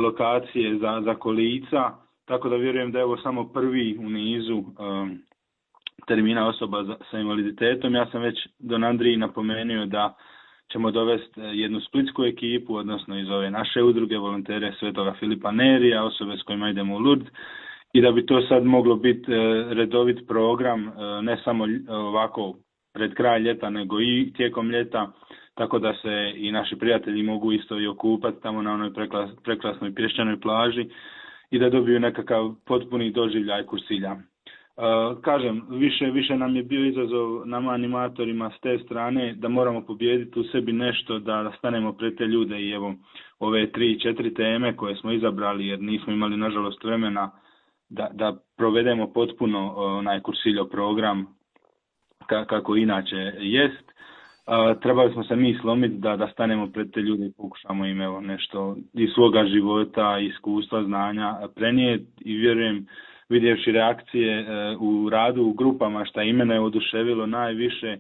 lokacije za, za kolica, tako da vjerujem da je ovo samo prvi u nizu termina osoba za, sa invaliditetom. Ja sam već Don Andriji napomenuo da ćemo dovesti jednu splitsku ekipu, odnosno iz ove naše udruge, volontere Svetoga Filipa Nerija, osobe s kojima idemo u Lourdes, i da bi to sad moglo biti redovit program, ne samo ovako pred kraj ljeta, nego i tijekom ljeta, tako da se i naši prijatelji mogu isto i okupati tamo na onoj preklas, preklasnoj pješčanoj plaži i da dobiju nekakav potpuni doživljaj Kursilja. Uh, kažem, više, više nam je bio izazov nama animatorima s te strane da moramo pobijediti u sebi nešto, da stanemo pred te ljude i evo ove tri, četiri teme koje smo izabrali jer nismo imali nažalost vremena da, da provedemo potpuno onaj Kursiljo program ka, kako inače jest. Uh, trebali smo se mi slomiti da, da stanemo pred te ljude i pokušamo im evo nešto iz svoga života, iskustva, znanja prenijeti i vjerujem, vidjevši reakcije e, u radu u grupama, šta i mene je oduševilo najviše,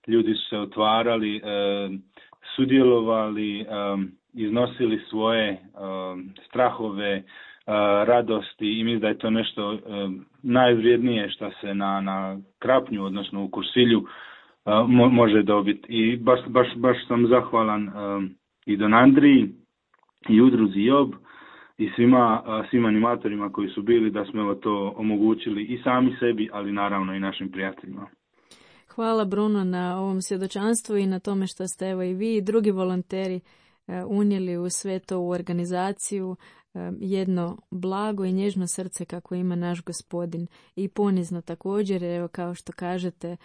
ljudi su se otvarali, e, sudjelovali, e, iznosili svoje e, strahove, e, radosti i mislim da je to nešto e, najvrijednije što se na, na Krapnju, odnosno u Kursilju, e, mo, može dobiti. I baš, baš, baš sam zahvalan e, i Don Andriji i udruzi Job i svima, svim animatorima koji su bili da smo evo to omogućili i sami sebi, ali naravno i našim prijateljima. Hvala Bruno na ovom svjedočanstvu i na tome što ste evo i vi i drugi volonteri unijeli u sve to u organizaciju jedno blago i nježno srce kako ima naš Gospodin i ponizno također, evo kao što kažete,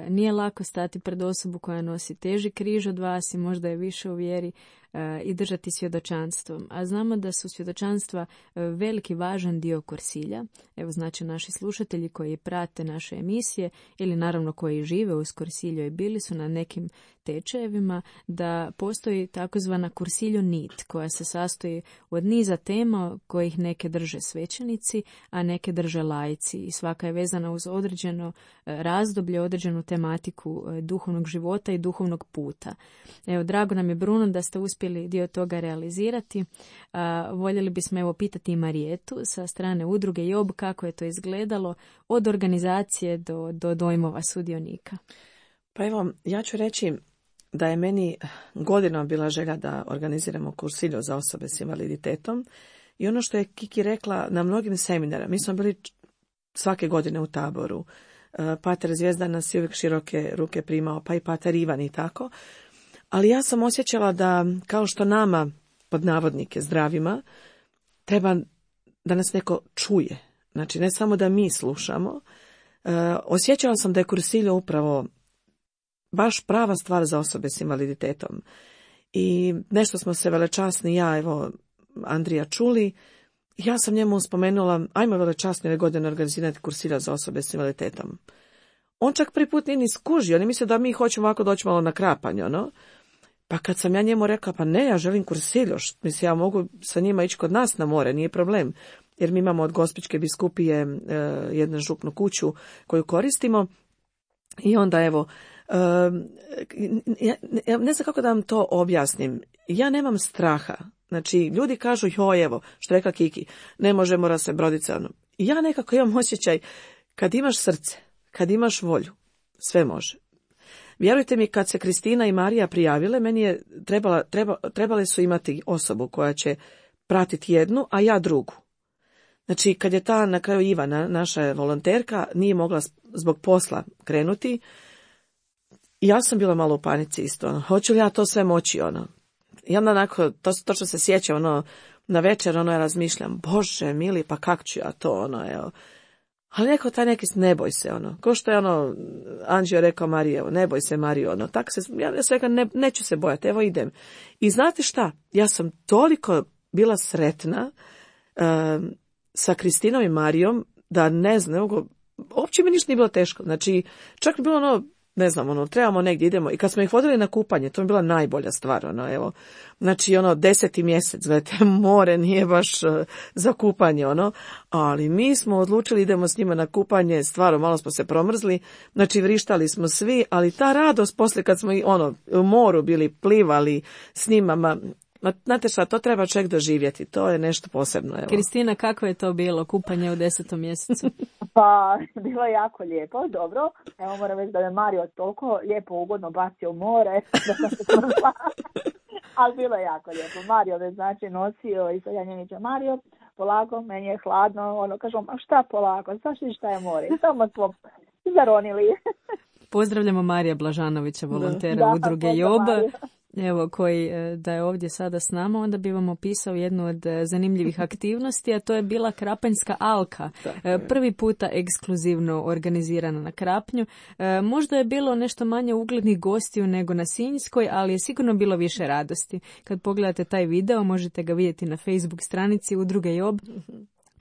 nije lako stati pred osobu koja nosi teži križ od vas i možda je više u vjeri i držati svjedočanstvo. A znamo da su svjedočanstva veliki važan dio Kursilja. Evo znači naši slušatelji koji prate naše emisije ili naravno koji žive uz Kursilju i bili su na nekim tečajevima, da postoji takozvana Kursiljo nit koja se sastoji od niza tema kojih neke drže svećenici, a neke drže laici i svaka je vezana uz određeno razdoblje, određenu tematiku duhovnog života i duhovnog puta. Evo, drago nam je Bruno da ste uspjeli dio toga realizirati. A, voljeli bismo evo pitati i Marijetu sa strane udruge Job kako je to izgledalo od organizacije do, do dojmova sudionika. Pa evo, ja ću reći da je meni godinama bila želja da organiziramo Kursiljo za osobe s invaliditetom i ono što je Kiki rekla na mnogim seminarima, mi smo bili svake godine u Taboru, Pater Zvijezdan nas je uvijek široke ruke primao, pa i Pater Ivan i tako, ali ja sam osjećala da kao što nama, pod navodnike zdravima, treba da nas neko čuje, znači ne samo da mi slušamo, osjećala sam da je Kursiljo upravo baš prava stvar za osobe s invaliditetom. I nešto smo se velečasni, ja, evo, Andrija čuli, ja sam njemu spomenula, ajmo velečasni ove godine organizirati Kursilja za osobe s invaliditetom. On čak prvi put nije ni skužio, on je mislio da mi hoćemo ovako doći malo na krapanje, ono. Pa kad sam ja njemu rekla, pa ne, ja želim Kursiljo, mislim, ja mogu sa njima ići kod nas na more, nije problem. Jer mi imamo od Gospićke biskupije e, jednu župnu kuću koju koristimo i onda evo, Uh, ja, ja ne znam kako da vam to objasnim. Ja nemam straha. Znači, ljudi kažu, joj, evo, što rekla Kiki, ne može, mora se broditi. Ono. Ja nekako imam osjećaj, kad imaš srce, kad imaš volju, sve može. Vjerujte mi, kad se Kristina i Marija prijavile, meni je trebala, treba, trebali su imati osobu koja će pratiti jednu, a ja drugu. Znači, kad je ta na kraju Ivana, naša volonterka, nije mogla zbog posla krenuti, ja sam bila malo u panici isto, ono, hoću li ja to sve moći, ono. I onda onako, to, to što se sjeća, ono, na večer, ono, ja razmišljam, Bože, mili, pa kak ću ja to, ono, evo. Ali neko taj neki, ne boj se, ono, ko što je, ono, Anđeo rekao Mariji, evo, ne boj se, Mariji, ono, tako se, ja sam rekao, ne, neću se bojati, evo idem. I znate šta, ja sam toliko bila sretna uh, sa Kristinom i Marijom, da ne znam, uopće mi ništa nije bilo teško. Znači, čak mi bilo ono, ne znam, ono, trebamo negdje, idemo. I kad smo ih vodili na kupanje, to mi je bila najbolja stvar, ono, evo. Znači, ono, deseti mjesec, gledajte, more nije baš uh, za kupanje, ono. Ali mi smo odlučili, idemo s njima na kupanje, stvarno, malo smo se promrzli. Znači, vrištali smo svi, ali ta radost poslije kad smo, ono, u moru bili, plivali s njima, ma, ma, znate šta, to treba čovjek doživjeti, to je nešto posebno, evo. Kristina, kako je to bilo, kupanje u desetom mjesecu? Pa, bilo je jako lijepo, dobro. Evo moram reći da je Mario toliko lijepo ugodno bacio u more, da sam se smrla. Ali bilo je jako lijepo. Mario me znači nosio i sad ja njemu ću, Mario, polako, meni je hladno. Ono, kažem, a šta polako, znaš li šta je more? Samo smo zaronili. Pozdravljamo Marija Blažanovića, volontera da, udruge Job. Evo, koji da je ovdje sada s nama, onda bi vam opisao jednu od zanimljivih aktivnosti, a to je bila Krapanjska alka. Prvi puta ekskluzivno organizirana na Krapnju. Možda je bilo nešto manje uglednih gostiju nego na Sinjskoj, ali je sigurno bilo više radosti. Kad pogledate taj video, možete ga vidjeti na Facebook stranici udruge Job.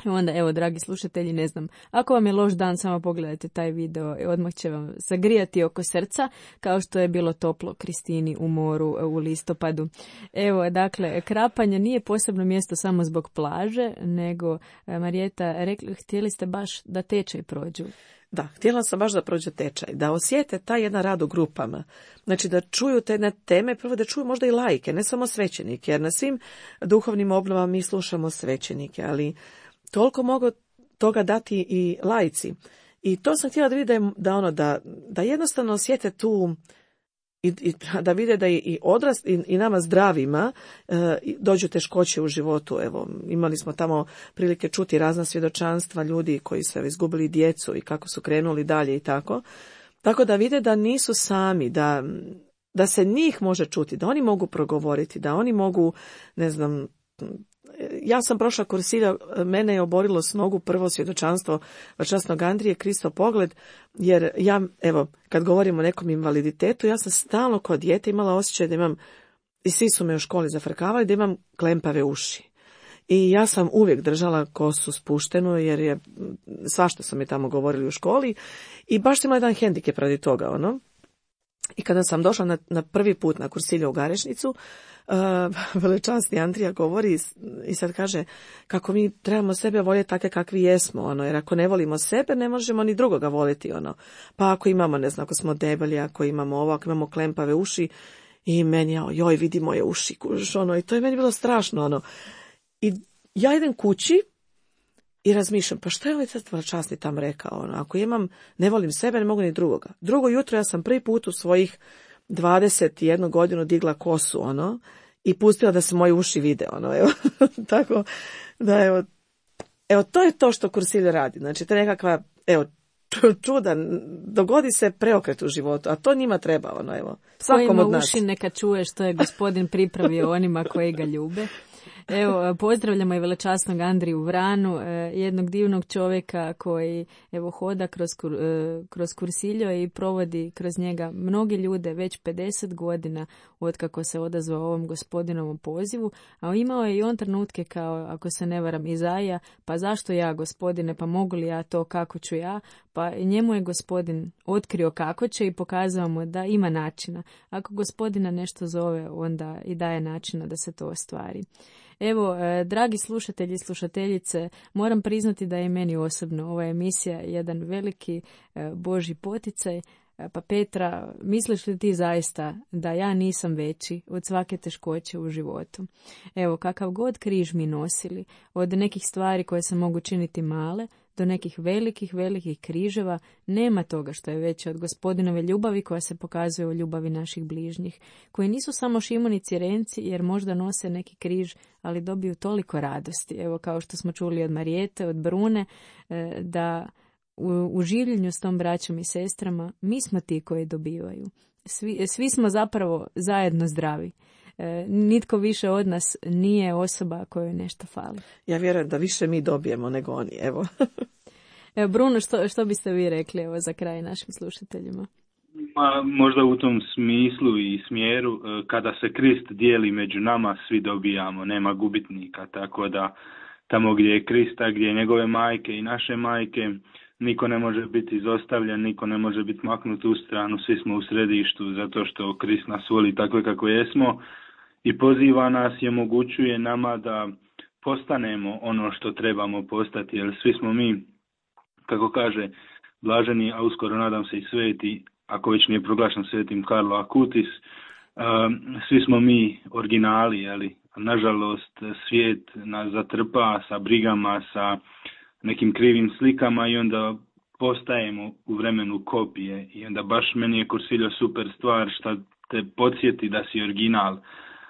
Onda, evo, dragi slušatelji, ne znam, ako vam je loš dan, samo pogledajte taj video i odmah će vam zagrijati oko srca, kao što je bilo toplo Kristini u moru u listopadu. Evo, dakle, Krapanje nije posebno mjesto samo zbog plaže, nego, Marijeta, rekli, htjeli ste baš da tečaj prođu. Da, htjela sam baš da prođe tečaj, da osjete taj jedan rad u grupama. Znači da čuju te jedne teme, prvo da čuju možda i laike, ne samo svećenike, jer na svim duhovnim obnovama mi slušamo svećenike, ali toliko mogu toga dati i laici. I to sam htjela da vide da, da, ono, da, da jednostavno osjete tu i, i da vide da i odrast i, i nama zdravima e, dođu teškoće u životu. Evo, imali smo tamo prilike čuti razna svjedočanstva ljudi koji su izgubili djecu i kako su krenuli dalje i tako. Tako da vide da nisu sami, da, da se njih može čuti, da oni mogu progovoriti, da oni mogu, ne znam, ja sam prošla kursilja, mene je oborilo s nogu prvo svjedočanstvo Vačasnog Andrije, Kristov pogled, jer ja, evo, kad govorim o nekom invaliditetu, ja sam stalno kod dijete imala osjećaj da imam, i svi su me u školi zafrkavali, da imam klempave uši. I ja sam uvijek držala kosu spuštenu, jer je, svašta su mi tamo govorili u školi, i baš sam imala jedan hendikep radi toga, ono. I kada sam došla na, na prvi put na kursilju u Garešnicu, Uh, velečasni Andrija govori i sad kaže kako mi trebamo sebe voljeti takve kakvi jesmo, ono, jer ako ne volimo sebe, ne možemo ni drugoga voliti, ono. Pa ako imamo, ne znam, ako smo debeli, ako imamo ovo, ako imamo klempave uši, i meni, joj, vidi moje uši, kuž, ono, i to je meni bilo strašno, ono. I ja idem kući i razmišljam, pa što je ovaj sad velečasni tam rekao, ono, ako imam, ne volim sebe, ne mogu ni drugoga. Drugo jutro ja sam prvi put u svojih dvadeset jednu godinu digla kosu, ono, i pustila da se moji uši vide, ono, evo, tako da, evo, evo, to je to što kursilja radi, znači, to je nekakva, evo, čuda, dogodi se preokret u životu, a to njima treba, ono, evo, svakom od nas. Ko ima uši, neka čuje što je Gospodin pripravio onima koji ga ljube. Evo, pozdravljamo i velečasnog Andriju Vranu, jednog divnog čovjeka koji, evo, hoda kroz, kroz kursiljo i provodi kroz njega mnogi ljude već pedeset godina otkako se odazvao ovom Gospodinovom pozivu, a imao je i on trenutke kao, ako se ne varam, Izaija, pa zašto ja, Gospodine, pa mogu li ja to, kako ću ja? Pa njemu je Gospodin otkrio kako će i pokazao mu da ima načina. Ako Gospodina nešto zove, onda i daje načina da se to ostvari. Evo, dragi slušatelji i slušateljice, moram priznati da je meni osobno ova emisija jedan veliki Božji poticaj. Pa Petra, misliš li ti zaista da ja nisam veći od svake teškoće u životu? Evo, kakav god križ mi nosili, od nekih stvari koje se mogu činiti male, do nekih velikih, velikih križeva, nema toga što je veće od Gospodinove ljubavi koja se pokazuje u ljubavi naših bližnjih, koji nisu samo Šimon i Cirenci, jer možda nose neki križ, ali dobiju toliko radosti. Evo, kao što smo čuli od Marijete, od Brune, da u, u življenju s tom braćom i sestrama mi smo ti koji dobivaju. Svi, svi smo zapravo zajedno zdravi. E, nitko više od nas nije osoba kojoj nešto fali. Ja vjerujem da više mi dobijemo nego oni, evo. Evo, Bruno, što, što biste vi rekli, evo, za kraj našim slušateljima? Ma, možda u tom smislu i smjeru, kada se Krist dijeli među nama, svi dobijamo, nema gubitnika, tako da tamo gdje je Krista, gdje je njegove majke i naše majke, niko ne može biti izostavljen, niko ne može biti maknut u stranu, svi smo u središtu zato što Krist nas voli takve kako jesmo i poziva nas i omogućuje nama da postanemo ono što trebamo postati, jer svi smo mi, kako kaže blaženi, a uskoro nadam se i sveti, ako već nije proglašen svetim Karlo Acutis, svi smo mi originali, jeli? Nažalost, svijet nas zatrpa sa brigama, sa nekim krivim slikama i onda postajemo u vremenu kopije. I onda baš meni je Cursillo super stvar što te podsjeti da si original.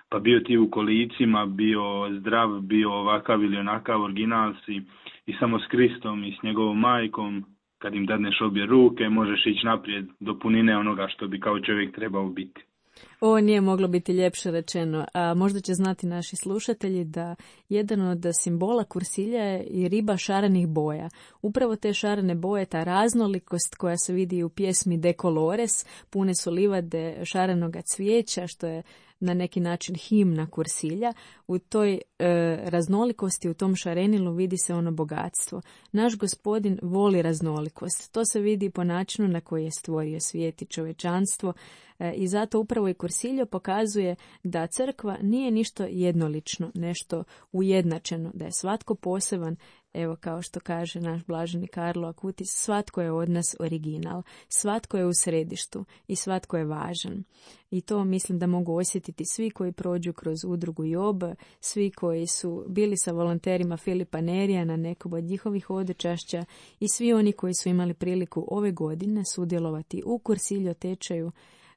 Pa bio ti u kolicima, bio zdrav, bio ovakav ili onakav, original si i samo s Kristom i s njegovom majkom, kad im dadneš obje ruke, možeš ići naprijed do punine onoga što bi kao čovjek trebao biti. Ovo nije moglo biti ljepše rečeno, a možda će znati naši slušatelji da jedan od simbola Cursilja je i riba šarenih boja. Upravo te šarene boje, ta raznolikost koja se vidi u pjesmi De Colores, pune su livade šarenoga cvijeća, što je na neki način himna Cursilja. U toj e, raznolikosti, u tom šarenilu vidi se ono bogatstvo. Naš Gospodin voli raznolikost. To se vidi po načinu na koji je stvorio svijet i čovječanstvo e, i zato upravo i Cursillo pokazuje da crkva nije ništa jednolično, nešto ujednačeno, da je svatko poseban. Evo, kao što kaže naš blaženi Karlo Acutis, svatko je od nas original, svatko je u središtu i svatko je važan. I to mislim da mogu osjetiti svi koji prođu kroz udrugu Job, svi koji su bili sa volonterima Filipa Nerija na nekom od njihovih hodočašća i svi oni koji su imali priliku ove godine sudjelovati u Cursillo tečaju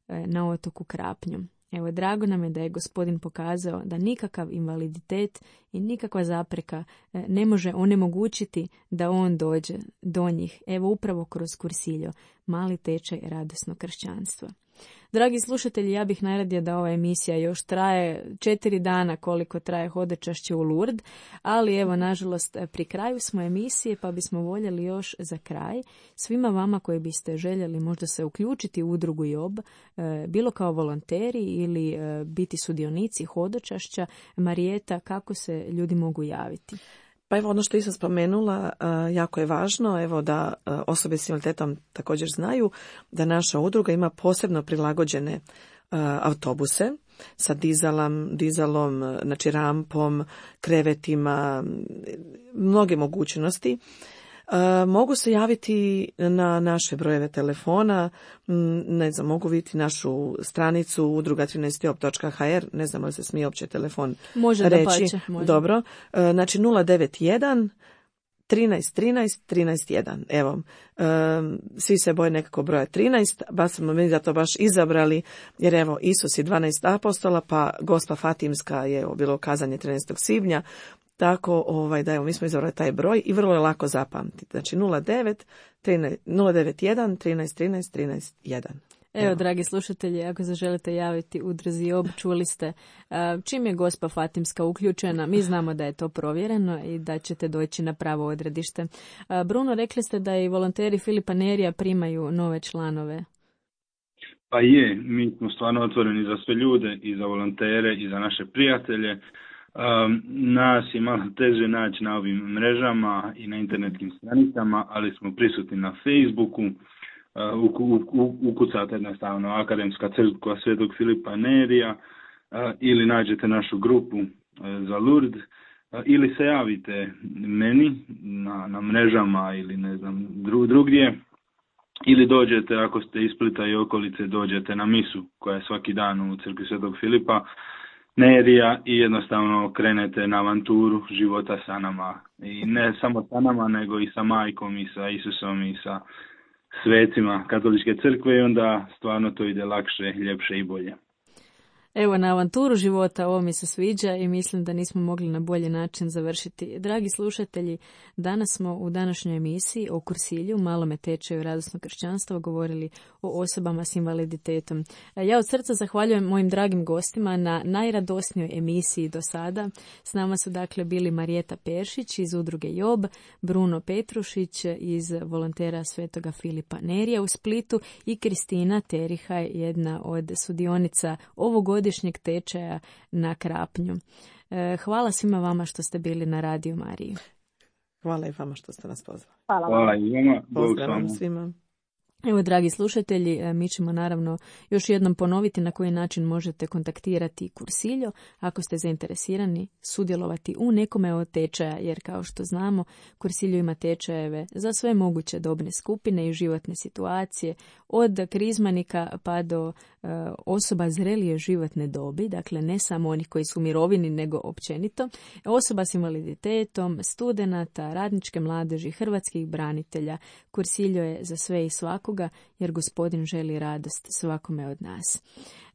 na otoku Krapnju. Evo, drago nam je da je Gospodin pokazao da nikakav invaliditet i nikakva zapreka ne može onemogućiti da on dođe do njih. Evo, upravo kroz Cursillo, mali tečaj radosnog kršćanstva. Dragi slušatelji, ja bih najradije da ova emisija još traje četiri dana koliko traje hodočašće u Lourdes, ali evo, nažalost, pri kraju smo emisije pa bismo voljeli još za kraj svima vama koji biste željeli možda se uključiti u udrugu Job, bilo kao volonteri ili biti sudionici hodočašća. Marijeta, kako se ljudi mogu javiti? Pa evo, ono što sam spomenula, jako je važno, evo, da osobe s invaliditetom također znaju da naša udruga ima posebno prilagođene autobuse sa dizalom, dizalom, znači rampom, krevetima, mnoge mogućnosti. Mogu se javiti na naše brojeve telefona, ne znam, mogu vidjeti našu stranicu udruga trinaest job točka ha er, ne znam li se smije uopće telefon može reći. Da pače, može. Dobro, znači nula devet jedan trinaest trinaest trinaest jedan. Evo, svi se boje nekako broja trinaest, ba smo mi da to baš izabrali, jer evo, Isus je dvanaest apostola, pa Gospa Fatimska je bilo kazanje trinaestog svibnja, tako ovaj, da evo, mi smo izabrali taj broj i vrlo je lako zapamtiti. Znači nula devet jedan trinaest trinaest trinaest jedan. Evo, dragi slušatelji, ako se želite javiti udruzi Job, čuli ste čim je Gospa Fatimska uključena, mi znamo da je to provjereno i da ćete doći na pravo odredište. Bruno, rekli ste da i volonteri Filipa Nerija primaju nove članove. Pa je, mi smo stvarno otvoreni za sve ljude, i za volontere, i za naše prijatelje. Um, nas je malo teže naći na ovim mrežama i na internetskim stranicama, ali smo prisutni na Facebooku. Uh, ukucate jednostavno Akademska crkva Svetog Filipa Nerija uh, ili nađete našu grupu uh, za Lourdes uh, ili se javite meni na, na mrežama ili ne znam dru, drugdje ili dođete, ako ste iz Splita i okolice, dođete na misu koja je svaki dan u crkvi Svetog Filipa Nerija i jednostavno krenete na avanturu života sa nama. I ne samo sa nama, nego i sa majkom i sa Isusom i sa svecima katoličke crkve, i onda stvarno to ide lakše, ljepše i bolje. Evo, na avanturu života ovo mi se sviđa i mislim da nismo mogli na bolji način završiti. Dragi slušatelji, danas smo u današnjoj emisiji o kursilju, malome tečaju radosnog kršćanstva, govorili o osobama s invaliditetom. Ja od srca zahvaljujem mojim dragim gostima na najradosnijoj emisiji do sada. S nama su dakle bili Marijeta Peršić iz udruge Job, Bruno Petrušić iz volontera Svetoga Filipa Nerija u Splitu i Kristina Terihaj, jedna od sudionica ovogodišnjeg tečaja na Krapnju. Hvala svima vama što ste bili na Radiju Mariji. Hvala i vama što ste nas pozvali. Hvala. Hvala i vama. Pozdrav svima. Evo, dragi slušatelji, mi ćemo naravno još jednom ponoviti na koji način možete kontaktirati Kursiljo ako ste zainteresirani sudjelovati u nekome od tečaja, jer kao što znamo, Kursiljo ima tečajeve za sve moguće dobne skupine i životne situacije, od krizmanika pa do e, osoba zrelije životne dobi, dakle ne samo onih koji su u mirovini, nego općenito, osoba s invaliditetom, studenata, radničke mladeži, hrvatskih branitelja. Kursiljo je za sve i svakoga, jer Gospodin želi radost svakome od nas.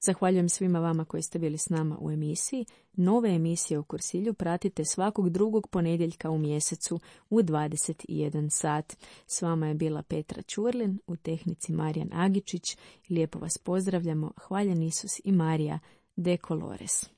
Zahvaljujem svima vama koji ste bili s nama u emisiji. Nove emisije o Kursilju pratite svakog drugog ponedjeljka u mjesecu u dvadeset jedan sat. S vama je bila Petra Ćurlin, u tehnici Marijan Agičić. Lijepo vas pozdravljamo. Hvaljen Isus i Marija de Colores.